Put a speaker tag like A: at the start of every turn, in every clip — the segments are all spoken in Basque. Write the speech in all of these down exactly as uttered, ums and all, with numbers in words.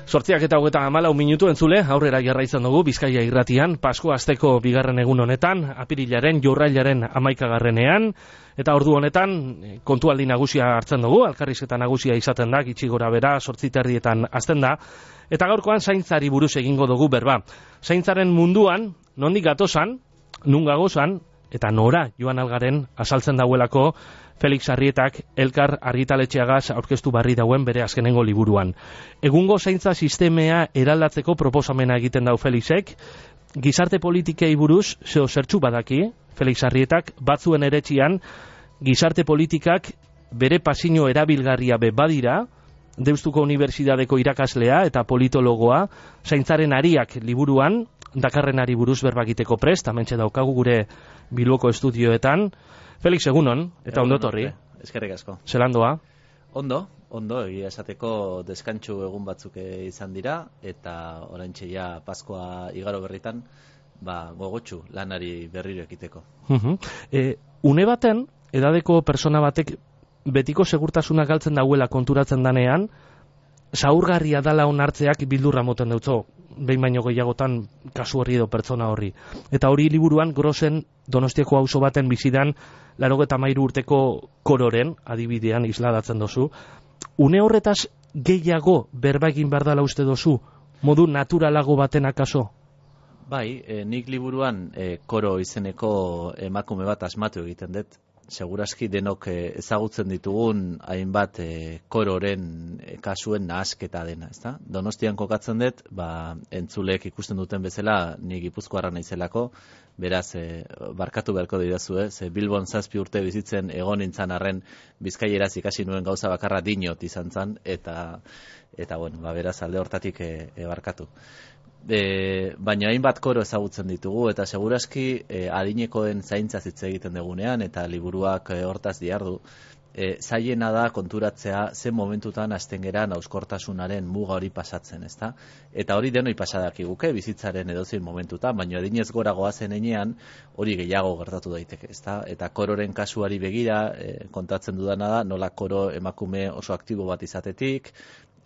A: Zortziak eta hogeita hamalau minutu entzule, aurrera jarraitzen dugu Bizkaia irratian, Paskua asteko bigarren egun honetan, apirilaren, jorrailaren hamaikagarrenean, eta ordu honetan kontualdi nagusia hartzen dugu, elkarrizketa nagusia izaten da, gitxi gora bera, zortzi terdietan hasten da, eta gaurkoan zaintzari buruz egingo dugu berba. Zaintzaren munduan, nondik gatozan, nun gagozan, eta nora joan algaren azaltzen dauelako Felix Arrietak elkar argitaletxeagaz aurkeztu barri dauen bere azkenengo liburuan. Egungo zaintza sistemea eraldatzeko proposamena egiten dau Felixek, gizarte politikei buruz zeo zertxu badaki, Felix Arrietak batzuen eretxian, gizarte politikak bere pasino erabilgarria be badira, Deustuko Unibertsitateko irakaslea eta politologoa, zaintzaren ariak liburuan, dakarrenari buruz berbagiteko prest, hementxe daukagu gure Bilboko estudioetan. Felix, egunon, eta ondo torri.
B: Eskerrik asko.
A: Zelandoa?
B: Ondo, ondo, egia esateko deskantxu egun batzuk izan dira, eta oraintxe ja Paskoa igaro berritan, ba, gogotsu lanari berriro ekiteko.
A: Uh-huh. e, une baten, edadeko persona batek betiko segurtasuna galtzen dauela konturatzen danean, zaurgarria dala onartzeak bildurra moten dutzo, behin baino gehiagotan kasu horri edo pertsona horri. Eta hori liburuan Grosen Donostiako auzo baten bizidan laurogeita hamairu urteko kororen adibidean isladatzen dozu. Une horretaz gehiago berba egin behar dela uste dozu, modu naturalago baten akaso?
B: Bai, e, nik liburuan e, koro izeneko emakume bat asmatu egiten dut. Segurazki denok ezagutzen ditugun hainbat e, kororen e, kasuen nahasketa dena, ezta? Donostian kokatzen dut, ba, entzulek ikusten duten bezala, ni Gipuzkoarra naizelako, beraz, e, barkatu beharko didazue, ze Bilbon zazpi urte bizitzen egon nintzan arren bizkaieraz ikasi nuen gauza bakarra dinot izan zan, eta, eta bueno, ba, beraz alde hortatik e, e, barkatu. E, baina hainbat koro ezagutzen ditugu eta segurazki e, adinekoen zaintza hitz egiten dugunean eta liburuak e, hortaz diardu e, zailena da konturatzea zen momentutan hasten geran hauskortasunaren muga hori pasatzen, ezta? Eta hori denoi pasadakiguke bizitzaren edozein momentutan, baina adinez gora goazen enean hori gehiago gertatu daiteke, ezta? Eta kororen kasuari begira e, kontatzen dudana da nola koro emakume oso aktibo bat izatetik,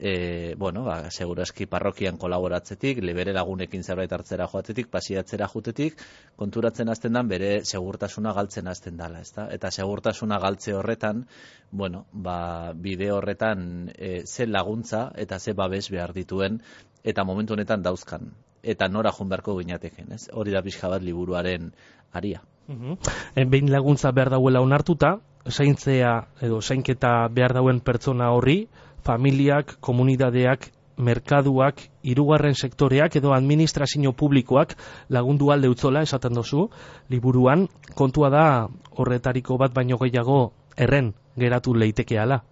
B: E, bueno, ba, segurazki parrokian kolaboratzetik, lebere lagunekin zerbait hartzera joatetik, pasiatzera jutetik, konturatzen hasten dan bere segurtasuna galtzen hasten dala, ezta? Eta segurtasuna galtze horretan, bueno, ba, bide horretan e, ze laguntza eta ze babes behar dituen, eta momentu honetan dauzkan. Eta nora joan beharko ginateken, ez? Hori da pixka bat liburuaren aria.
A: Uh-huh. E, behin laguntza behar dauela onartuta, zaintzea edo zainketa behar dauen pertsona horri, familiak, komunitateak, merkaduak, hirugarren sektoreak edo administrazio publikoak lagundu alde utzola esaten dozu, liburuan kontua da horretariko bat baino gehiago erren geratu leitekeala.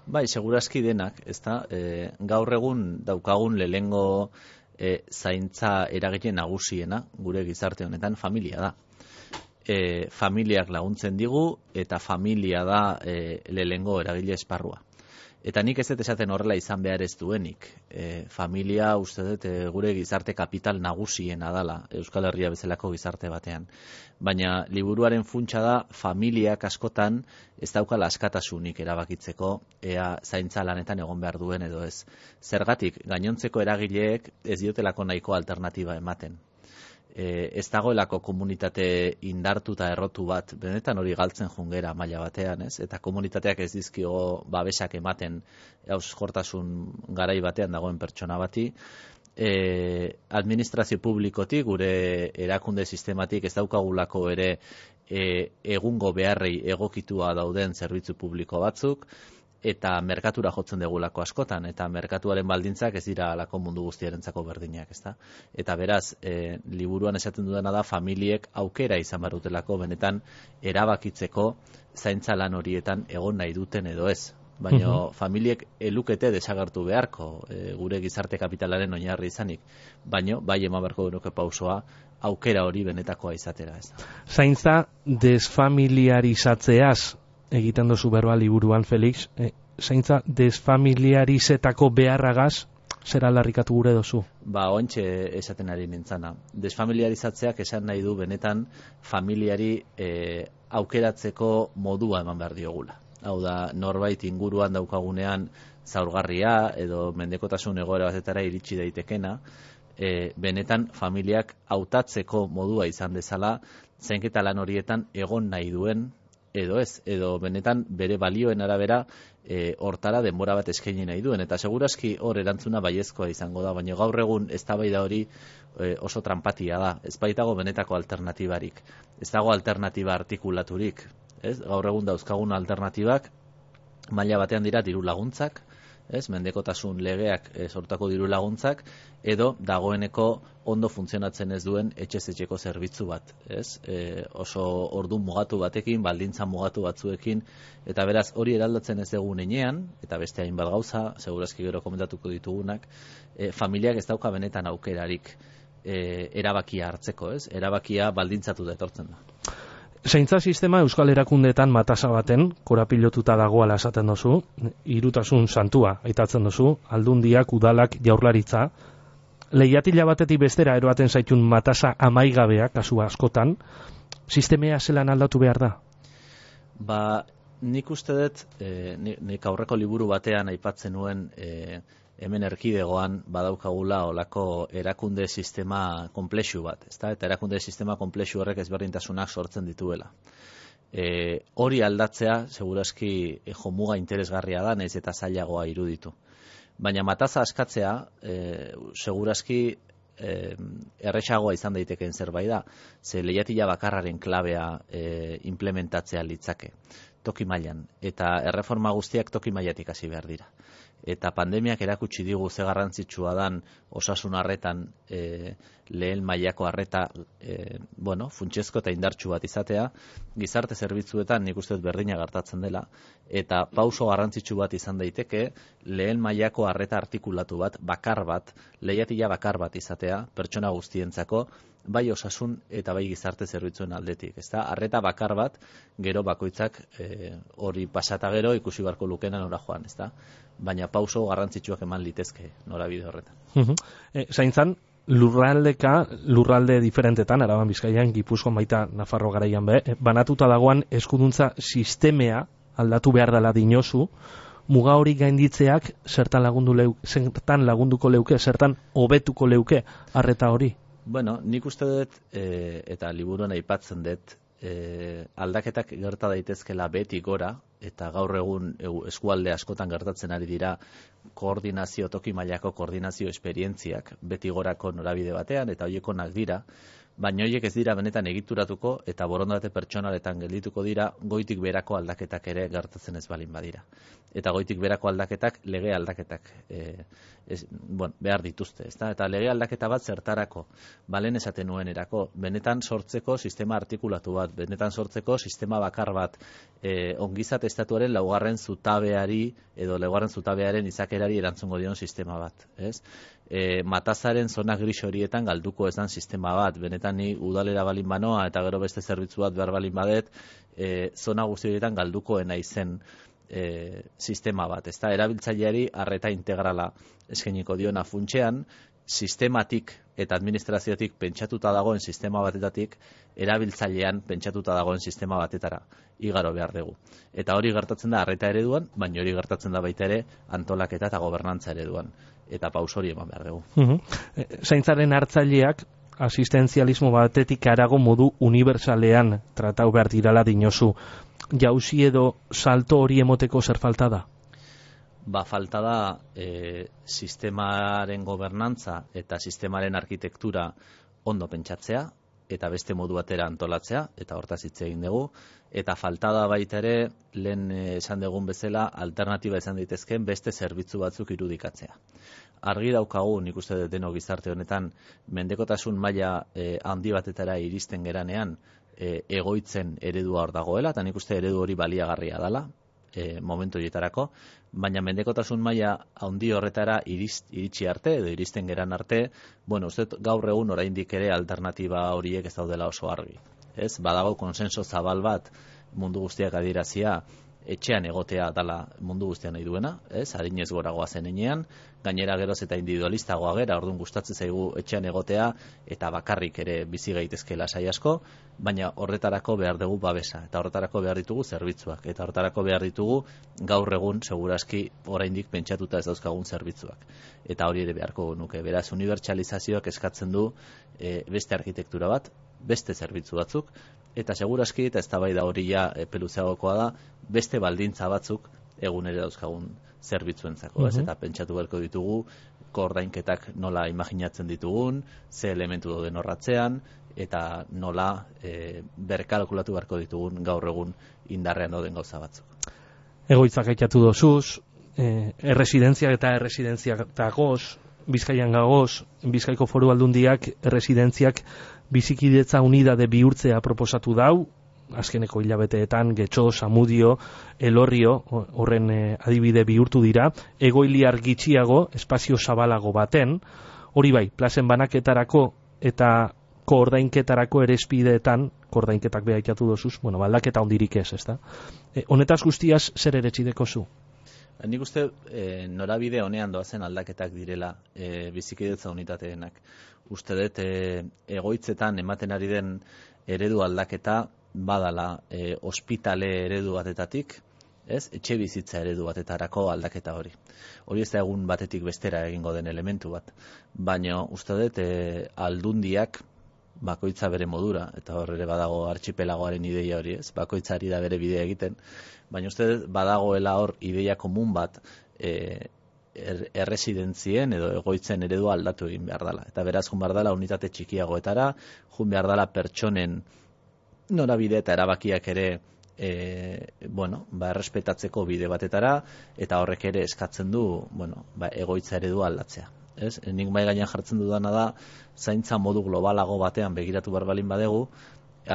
B: Bai, segurazki denak, ezta? E, gaur egun daukagun lehengo e, zaintza eragile nagusiena gure gizarte honetan familia da. E, familiak laguntzen digu eta familia da e, lehengo eragile esparrua. Eta nik ez dut esaten horrela izan behar ez duenik. E, familia, uste dut, e, gure gizarte kapital nagusiena dala, Euskal Herria bezalako gizarte batean. Baina liburuaren funtsa da, familiak askotan ez daukala askatasunik erabakitzeko, ea zaintza lanetan egon behar duen edo ez. Zergatik, gainontzeko eragileek ez diotelako nahiko alternatiba ematen. E, ez dagoelako komunitate indartu eta errotu bat, benetan hori galtzen jungera maila batean, ez? Eta komunitateak ez dizkio babesak ematen hauskortasun garai batean dagoen pertsona bati. E, administrazio publikotik, gure erakunde sistematik ez daukagulako ere e, egungo beharrei egokitua dauden zerbitzu publiko batzuk, eta merkatura jotzen degulako askotan, eta merkatuaren baldintzak ez dira alako mundu guztiarentzako berdinak, ezta? Eta beraz, e, liburuan esaten dudana da, familiek aukera izan barutelako benetan erabakitzeko zaintza lan horietan egon nahi duten edo ez. Baina uh-huh. familiek elukete desagertu beharko e, gure gizarte kapitalaren oinarri izanik, baina bai eman beharko genuke pausoa aukera hori benetakoa izatera, ez da.
A: Zaintza desfamiliarizatzeaz egiten dozu berba liburuan, Felix, e, zaintza desfamiliarizetako beharragaz zer aldarrikatu gure dozu?
B: Ba, ontxe esaten ari nintzana. Desfamiliarizatzeak esan nahi du benetan familiari e, aukeratzeko modua eman behar diogula. Hau da, norbait inguruan daukagunean zaurgarria edo mendekotasun egoera batetara iritsi daitekena, e, benetan familiak hautatzeko modua izan dezala, zainketa lan horietan egon nahi duen, edo ez, edo benetan bere balioen arabera e, hortara denbora bat eskaini nahi duen. Eta segurazki hor erantzuna baiezkoa izango da, baina gaur egun eztabaida hori e, oso tranpatia da. Ez baitago benetako alternatibarik. Ez dago alternatiba artikulaturik. Ez? Gaur egun dauzkagun alternatibak maila batean dira diru laguntzak, ez? Mendekotasun legeak e, sortako diru laguntzak, edo dagoeneko ondo funtzionatzen ez duen etxez etxeko zerbitzu bat, ez? E, oso ordu mugatu batekin, baldintza mugatu batzuekin, eta beraz hori eraldatzen ez dugun enean, eta beste hainbat gauza, segurazki gero komentatuko ditugunak, e, familiak ez dauka benetan aukerarik e, erabakia hartzeko, ez? Erabakia baldintzatu da etortzen da.
A: Zaintza sistema euskal erakundeetan matasa baten korapilotuta dagoala esaten duzu, hirutasun santua aitatzen duzu, aldundiak, udalak, jaurlaritza, lehiatila batetik bestera eroaten zaitun matasa amaigabea kasu askotan, sistemea zelan aldatu behar da?
B: Ba, nik uste dut, e, nik aurreko liburu batean aipatzen nuen e, hemen erkidegoan badaukagula olako erakunde sistema konplexu bat, ezta? Eta erakunde sistema konplexu horrek ezberdintasunak sortzen dituela. E, hori aldatzea, segurazki e, jomuga interesgarria da, nahiz eta zailagoa iruditu. Baina mataza askatzea, e, segurazki e, erresagoa izan daitekeen zerbait da, ze lehiatila bakarraren klabea e, implementatzea litzake, toki mailan, eta erreforma guztiak toki mailatik hasi behar dira. Eta pandemiak erakutsi digu ze garrantzitsua dan osasun arretan e, lehen mailako arreta e, bueno, funtsezko eta indartsu bat izatea, gizarte zerbitzuetan nik uste dut berdina gertatzen dela, eta pauso garrantzitsu bat izan daiteke lehen mailako arreta artikulatu bat, bakar bat, lehiatila bakar bat izatea, pertsona guztientzako, bai osasun eta bai gizarte zerbitzuen aldetik. Ezta? Arreta bakar bat, gero bakoitzak e, hori pasata gero ikusi beharko lukena nora joan, ezta? Baina pauso garrantzitsuak eman litezke norabide horretan.
A: Uh-huh. E, zaintzan, lurraldeka, lurralde diferentetan, Araban, Bizkaian, Gipuzkoan, baita Nafarro garaian be, banatuta dagoan eskuduntza sistemea aldatu behar dela dinozu, muga hori gainditzeak zertan lagundu leu, zertan lagunduko leuke, zertan hobetuko leuke arreta hori?
B: Bueno, nik uste dut, e, eta liburuan aipatzen dut, e, aldaketak gerta daitezkela beti gora, eta gaur egun e, eskualde askotan gertatzen ari dira koordinazio, toki mailako koordinazio esperientziak beti gorako norabide batean, eta hoiekonak dira, baina horiek ez dira benetan egituratuko eta borondate pertsonaletan geldituko dira goitik berako aldaketak ere gertatzen ez balin badira. Eta goitik berako aldaketak lege aldaketak e, ez, bueno, behar dituzte, ezta? Eta lege aldaketa bat zertarako, balen esaten nuen erako, benetan sortzeko sistema artikulatu bat, benetan sortzeko sistema bakar bat, e, ongizat estatuaren laugarren zutabeari edo laugarren zutabearen izakerari erantzungo dion sistema bat, ez? E, matazaren zona gris horietan galduko esan sistema bat, benetan ni udalera balin banoa eta gero beste zerbitzu bat behar balin badet, e, zona guzti horietan galdukoena izen e, sistema bat, ezta? Erabiltzaileari arreta integrala eskainiko diona funtsean, sistematik eta administraziotik pentsatuta dagoen sistema batetatik erabiltzailean pentsatuta dagoen sistema batetara igaro behar dugu. Eta hori gertatzen da arreta ereduan, baina hori gertatzen da baita ere antolaketa eta gobernantza ereduan. Eta paus hori eman behar dugu.
A: Uh-huh. Zaintzaren hartzaileak asistentzialismo batetik harago modu unibertsalean tratau behar dirala dinozu. Jauzi edo salto hori emoteko zer falta da?
B: Ba, falta da e, sistemaren gobernantza eta sistemaren arkitektura ondo pentsatzea, eta beste modu batera antolatzea, eta hortaz hitz egin dugu, eta falta da baita ere, lehen esan dugun bezala, alternatiba izan daitezkeen beste zerbitzu batzuk irudikatzea. Argi daukagu, nik uste dut denok gizarte honetan, mendekotasun maila e, handi batetara iristen geranean, e, egoitzen eredua hor dagoela, eta nik uste eredu hori baliagarria dela, e, momentu horietarako, baina mendekotasun maila handi horretara irist, iritsi arte edo iristen geran arte, bueno, uste gaur egun oraindik ere alternatiba horiek ez daudela oso argi. Ez, badago konsenso zabal bat mundu guztiak adierazia etxean egotea dala mundu guztian nahi duena, ez? Adinez goragoa zen enean, gainera geroz eta individualistagoa gera, orduan gustatzen zaigu etxean egotea eta bakarrik ere bizi gaitezke lasai asko, baina horretarako behar dugu babesa, eta horretarako behar ditugu zerbitzuak, eta horretarako behar ditugu gaur egun segurazki oraindik pentsatuta ez dauzkagun zerbitzuak. Eta hori ere beharko nuke. Beraz, unibertsalizazioak eskatzen du e, beste arkitektura bat, beste zerbitzu batzuk, eta segurazki, eta eztabaida hori ja peluzeagokoa da, beste baldintza batzuk egunero dauzkagun zerbitzuentzako, ez? Eta pentsatu beharko ditugu koordainketak nola imaginatzen ditugun, ze elementu dauden horratzean, eta nola e, berkalkulatu beharko ditugun gaur egun indarrean dauden gauza batzuk.
A: Egoitzak aitatu dozuz, e, erresidentziak eta erresidentziak dagoz, Bizkaian gagoz, Bizkaiko Foru Aldundiak erresidentziak bizikidetza unidade bihurtzea proposatu dau, azkeneko hilabeteetan Getxo, Samudio, Elorrio horren e, adibide bihurtu dira, egoiliar gitxiago, espazio zabalago baten, hori bai, plazen banaketarako eta koordainketarako ere espideetan, koordainketak beha ikatu dozuz, bueno, baldaketa ondirik ez, ezta? E, honetaz guztiaz, zer eretxideko zu?
B: Nik uste e, norabide honean doazen aldaketak direla e, bizikidetza unitateenak. Uste dut e, egoitzetan ematen ari den eredu aldaketa badala e, ospitale eredu batetatik, ez? Etxe bizitza eredu batetarako aldaketa hori. Hori ez da egun batetik bestera egingo den elementu bat. Baina uste dut e, aldundiak bakoitza bere modura, eta hor ere badago archipelagoaren ideia hori, ez? Bakoitzari da bere bidea egiten, baina uste badagoela hor ideia komun bat e, er, erresidentzien edo egoitzen eredua aldatu egin behar dela. Eta beraz, jun behar dela unitate txikiagoetara, jun behar dela pertsonen norabide eta erabakiak ere e, bueno, ba, errespetatzeko bide batetara, eta horrek ere eskatzen du, bueno, ba, egoitza eredua aldatzea. Ez? Nik mai gainean jartzen dudana da, zaintza modu globalago batean begiratu behar balin badegu,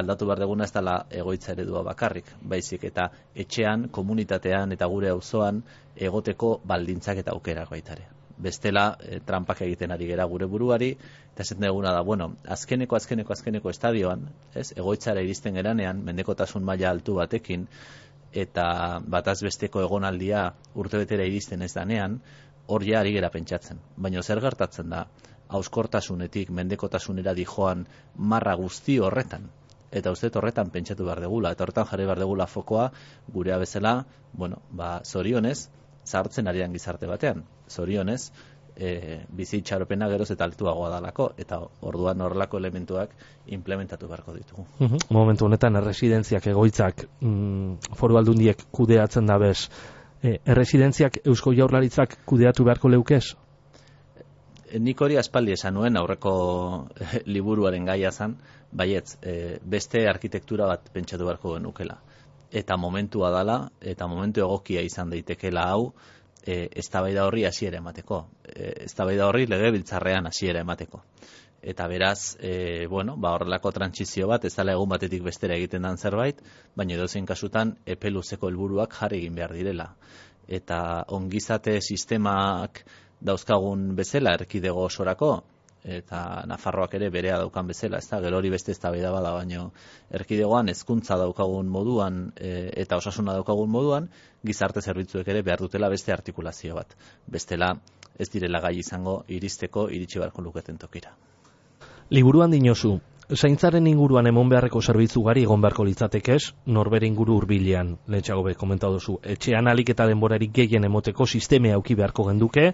B: aldatu behar deguna ez dela egoitza eredua bakarrik, baizik eta etxean, komunitatean eta gure auzoan egoteko baldintzak eta aukerak baitare. Bestela, e, trampak egiten ari gera gure buruari, eta esaten duguna da, bueno, azkeneko, azkeneko, azkeneko estadioan, ez? Egoitzara iristen geranean, mendekotasun maila altu batekin, eta bataz besteko egonaldia urtebetera iristen ez danean, hor ja ari gera pentsatzen. Baina zer gertatzen da, hauskortasunetik mendekotasunera dijoan marra guzti horretan. Eta uste horretan pentsatu behar degula, eta horretan jarri behar degula fokoa gurea bezala, bueno, ba, zorionez, zahartzen arian gizarte batean. Zorionez, e, bizi itxaropena geroz eta altuagoa dalako, eta orduan horrelako elementuak implementatu beharko ditugu.
A: Uh-huh. Momentu honetan, erresidentziak egoitzak mm, Foru Aldundiek kudeatzen da bez, E, erresidentziak Eusko Jaurlaritzak kudeatu beharko leukez?
B: Nik hori aspaldi esan nuen aurreko e, liburuaren gaia zan, baietz, e, beste arkitektura bat pentsatu beharko genukela. Eta momentua dala, eta momentu egokia izan daitekela hau, e, eztabaida horri hasiera emateko. E, eztabaida horri legebiltzarrean hasiera emateko. Eta beraz, e, bueno, ba horrelako trantsizio bat, ez dela egun batetik bestera egiten dan zerbait, baina edozein kasutan epe luzeko helburuak jarri egin behar direla. Eta ongizate sistemak dauzkagun bezala erkidego osorako, eta Nafarroak ere berea daukan bezala, ez da, gero hori beste eztabaida bada, baina erkidegoan hezkuntza daukagun moduan e, eta osasuna daukagun moduan, gizarte zerbitzuek ere behar dutela beste artikulazio bat. Bestela ez direla gai izango iristeko iritsi beharko luketen tokira.
A: Liburuan dinozu, zaintzaren inguruan emon beharreko zerbitzu gari egon beharko litzatekez, norbere inguru hurbilean, lehentxago be, komentatu duzu, etxean alik eta denborarik gehien emoteko sisteme auki beharko genduke,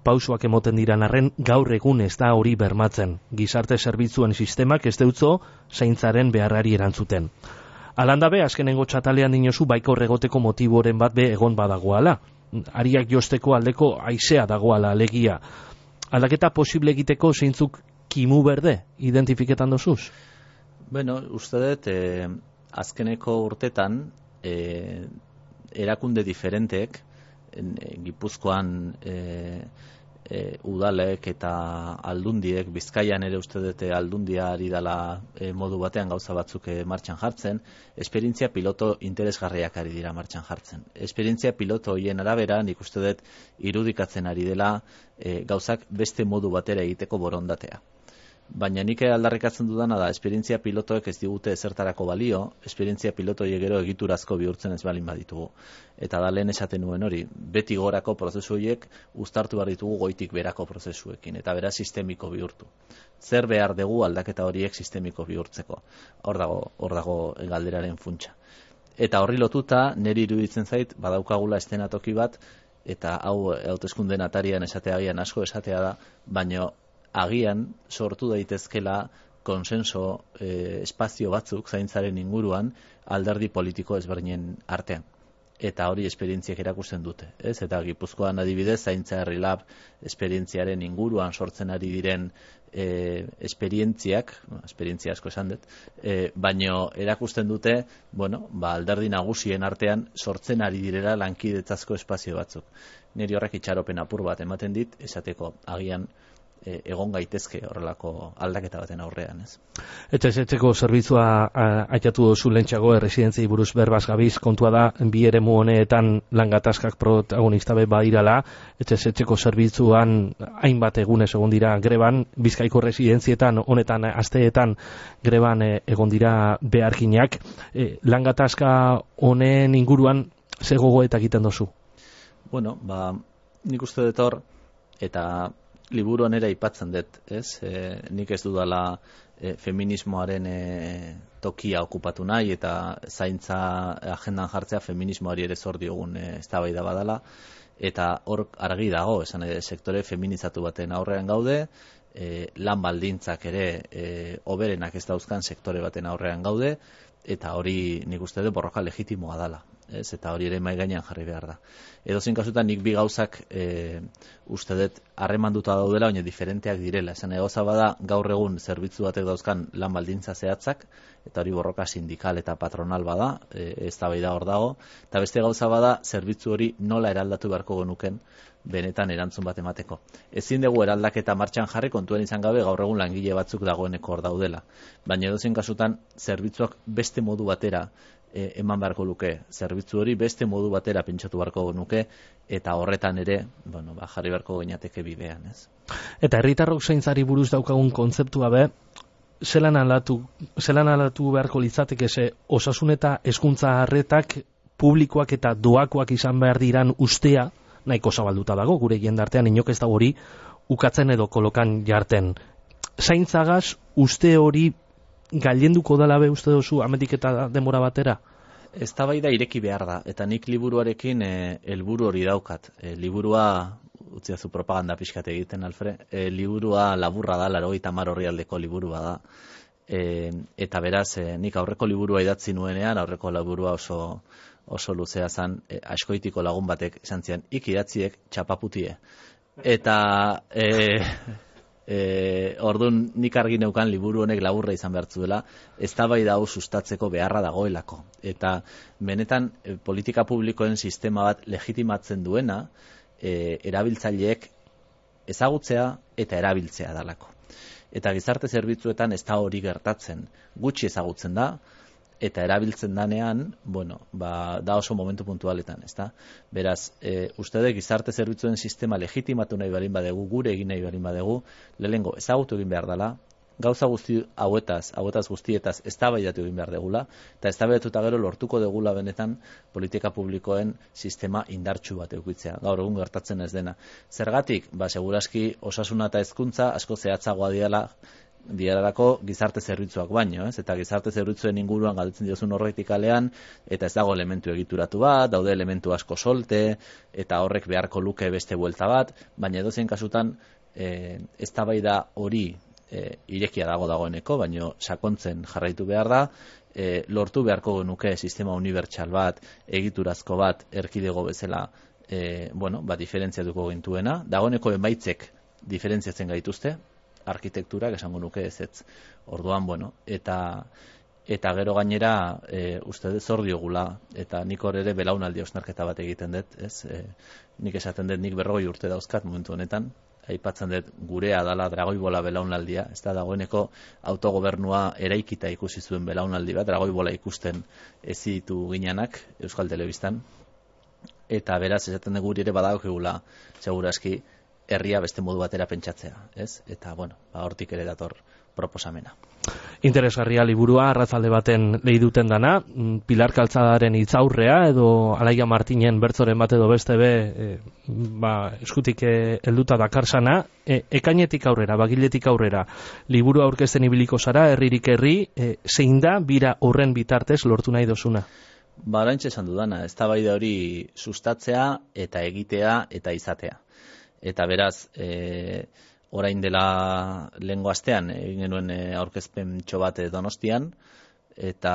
A: pausoak emoten diran arren gaur egun ez da hori bermatzen. Gizarte zerbitzuen sistemak ez deutzo zaintzaren beharrari erantzuten. Alandabe, azkenengo txatalean dinozu baiko regoteko motiboren bat be egon badagoala. Ariak josteko aldeko haizea dagoala alegia. Aldaketa posible egiteko zeintzuk kimu berde identifiketan dozuz?
B: Bueno, uste dut, eh, azkeneko urtetan, eh, erakunde diferentek, en, en, Gipuzkoan eh, eh, udalek eta aldundiek, Bizkaian ere uste dut aldundia ari dela eh, modu batean gauza batzuk eh, martxan jartzen, esperientzia piloto interesgarriak ari dira martxan jartzen. Esperientzia piloto hoien arabera, nik uste dut irudikatzen ari dela eh, gauzak beste modu batera egiteko borondatea. baina nik aldarrikatzen dudana da, esperientzia pilotoek ez digute ezertarako balio, esperientzia pilotoiek gero egiturazko bihurtzen ez balin baditugu. Eta da lehen esaten nuen hori, beti gorako prozesu horiek uztartu behar ditugu goitik berako prozesuekin, eta bera sistemiko bihurtu. Zer behar dugu aldaketa horiek sistemiko bihurtzeko? Hor dago, hor dago galderaren funtsa. Eta horri lotuta, niri iruditzen zait, badaukagula estenatoki bat, eta hau hauteskundeen atarian esateagian asko esatea da, baino agian sortu daitezkela konsenso eh, espazio batzuk zaintzaren inguruan alderdi politiko ezberdinen artean. Eta hori esperientziak erakusten dute. Ez? Eta Gipuzkoan adibidez, zaintza herri lab esperientziaren inguruan sortzen ari diren e, esperientziak, no, esperientzia asko esan dut, e, baino erakusten dute, bueno, ba, alderdi nagusien artean sortzen ari direla lankidetzazko espazio batzuk. Niri horrek itxaropen apur bat ematen dit, esateko agian e, egon gaitezke horrelako aldaketa baten aurrean, ez?
A: Etxez etxeko zerbitzua aitatu duzu lentsago erresidentziei buruz berbaz gabiz, kontua da bi eremu honetan langatazkak protagonista be badirala, etxez etxeko zerbitzuan hainbat egunez egon dira greban, Bizkaiko residentzietan honetan asteetan greban egon dira beharkinak. E, langatazka honen inguruan ze gogoetak egiten dozu?
B: Bueno, ba, nik uste dut hor, eta liburu honera aipatzen dut, ez? E, nik ez dudala e, feminismoaren e, tokia okupatu nahi, eta zaintza agendan jartzea feminismoari ere zor diogun e, eztabaida badala, eta hor argi dago, esan ere, sektore feminizatu baten aurrean gaude, e, lan baldintzak ere e, oberenak ez dauzkan sektore baten aurrean gaude, eta hori nik uste dut borroka legitimoa dala. Ez, eta hori ere mai gainean jarri behar da. Edozein kasutan nik bi gauzak e, uste dut harremanduta daudela, baina diferenteak direla. Esan egoza bada gaur egun zerbitzu batek dauzkan lan baldintza zehatzak, eta hori borroka sindikal eta patronal bada, e, eztabaida hor dago, eta beste gauza bada zerbitzu hori nola eraldatu beharko genuken benetan erantzun bat emateko. Ezin dugu eraldaketa martxan jarri kontuan izan gabe gaur egun langile batzuk dagoeneko hor daudela. Baina edozein kasutan zerbitzuak beste modu batera E, eman beharko luke, zerbitzu hori beste modu batera pentsatu beharko nuke, eta horretan ere, bueno, ba, jarri beharko gainateke bidean, ez?
A: Eta herritarrok zaintzari buruz daukagun kontzeptua be, zelan alatu, zelan alatu beharko litzateke ze osasun eta hezkuntza arretak publikoak eta doakoak izan behar diran ustea, nahiko zabalduta dago, gure jendartean inok ez da hori ukatzen edo kolokan jarten. Zaintzagaz uste hori gailenduko dela be uste duzu ametik eta denbora batera?
B: Eztabaida ireki behar da, eta nik liburuarekin e, helburu hori daukat. E, liburua, utziazu propaganda pixkat egiten, Alfre, e, liburua laburra da, laurogeita hamar orrialdeko liburua da. E, eta beraz, e, nik aurreko liburua idatzi nuenean, aurreko liburua oso, oso luzea zan, e, askoitiko lagun batek esan zian, ik idatziek txapaputie. Eta... E, E, ordun nik argi neukan liburu honek laburra izan behartzuela, eztabaida hau sustatzeko beharra dagoelako. Eta benetan e, politika publikoen sistema bat legitimatzen duena e, erabiltzaileek ezagutzea eta erabiltzea dalako. Eta gizarte zerbitzuetan ez da hori gertatzen, gutxi ezagutzen da, eta erabiltzen danean, bueno, ba, da oso momentu puntualetan, ezta? Beraz, e, uste dut gizarte zerbitzuen sistema legitimatu nahi balin badegu, gure egin nahi balin badegu, lehenengo ezagutu egin behar dela, gauza guzti hauetaz, hauetaz guztietaz eztabaidatu egin behar degula, eta eztabaidatuta gero lortuko degula benetan politika publikoen sistema indartsu bat edukitzea. Gaur egun gertatzen ez dena. Zergatik, ba, seguraski osasuna eta hezkuntza asko zehatzagoa diala, diararako gizarte zerbitzuak baino, ez? Eta gizarte zerbitzuen inguruan galdetzen diozun horretik alean, eta ez dago elementu egituratu bat, daude elementu asko solte, eta horrek beharko luke beste buelta bat, baina edozein kasutan e, eztabaida hori e, irekia dago dagoeneko, baino sakontzen jarraitu behar da, e, lortu beharko genuke sistema unibertsal bat, egiturazko bat, erkidego bezala, e, bueno, ba, diferentziatuko gintuena, dagoeneko emaitzek diferentziatzen gaituzte, arkitekturak esango nuke ez ez. Orduan, bueno, eta eta gero gainera e, uste dut zor diogula, eta nik hor ere belaunaldi osnarketa bat egiten dut, ez? E, nik esaten dut nik berrogei urte dauzkat momentu honetan, aipatzen dut gurea dala dragoibola belaunaldia, ez da dagoeneko autogobernua eraikita ikusi zuen belaunaldi bat, dragoibola ikusten ez ditu ginenak Euskal Telebistan, eta beraz esaten dut guri ere badaukegula, seguraski, herria beste modu batera pentsatzea, ez? Eta, bueno, ba, hortik ere dator proposamena.
A: Interesgarria liburua, arratzalde baten lehi duten dana, Pilar Kaltzadaren hitzaurrea edo Alaia Martinen bertzoren bat edo beste be, e, ba, eskutik helduta dakarsana, e, ekainetik aurrera, bagiletik aurrera, liburua aurkezten ibiliko zara, herririk herri, e, zein da bira horren bitartez lortu nahi dozuna?
B: Ba, oraintxe esan dudana, eztabaida hori sustatzea eta egitea eta izatea. Eta beraz, e, orain dela lehengo astean egin genuen aurkezpen txobate Donostian, eta,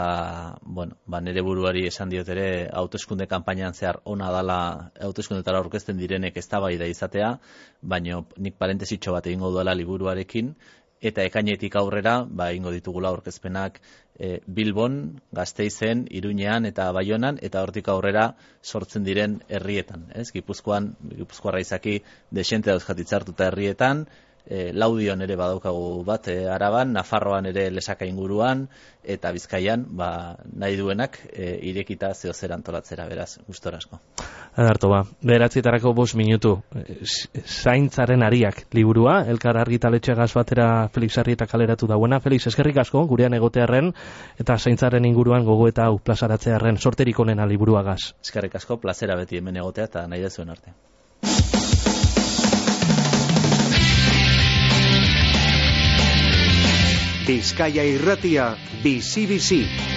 B: bueno, ba, nire buruari esan diot ere hauteskunde kanpainan zehar ona dala hauteskundetara aurkezten direnek eztabaida izatea, baino nik parentesitxo bat egingo duela liburuarekin, eta ekainetik aurrera, ba, egingo ditugula aurkezpenak e, Bilbon, Gasteizen, Iruñean eta Baionan, eta hortik aurrera sortzen diren herrietan. Ez? Gipuzkoan, Gipuzkoarra izaki desente dauzkat hitzartuta herrietan, e, Laudion ere badaukagu bat e, Araban, Nafarroan ere Lesaka inguruan, eta Bizkaian, ba, nahi duenak e, irekita zehozer antolatzera, beraz, gustorasko.
A: Adarto ba, beratzietarako bost minutu, zaintzaren ariak liburua, elkar argitaletxegaz batera Felix Arrieta kaleratu dauena. Felix, eskerrik asko, gurean egotearren, eta zaintzaren inguruan gogo eta hau plazaratzearren, sorterik onena liburuagaz.
B: Eskerrik asko, plazera beti hemen egotea eta nahi dezuen arte.
C: Bizkaia Irratia, bizi-bizi.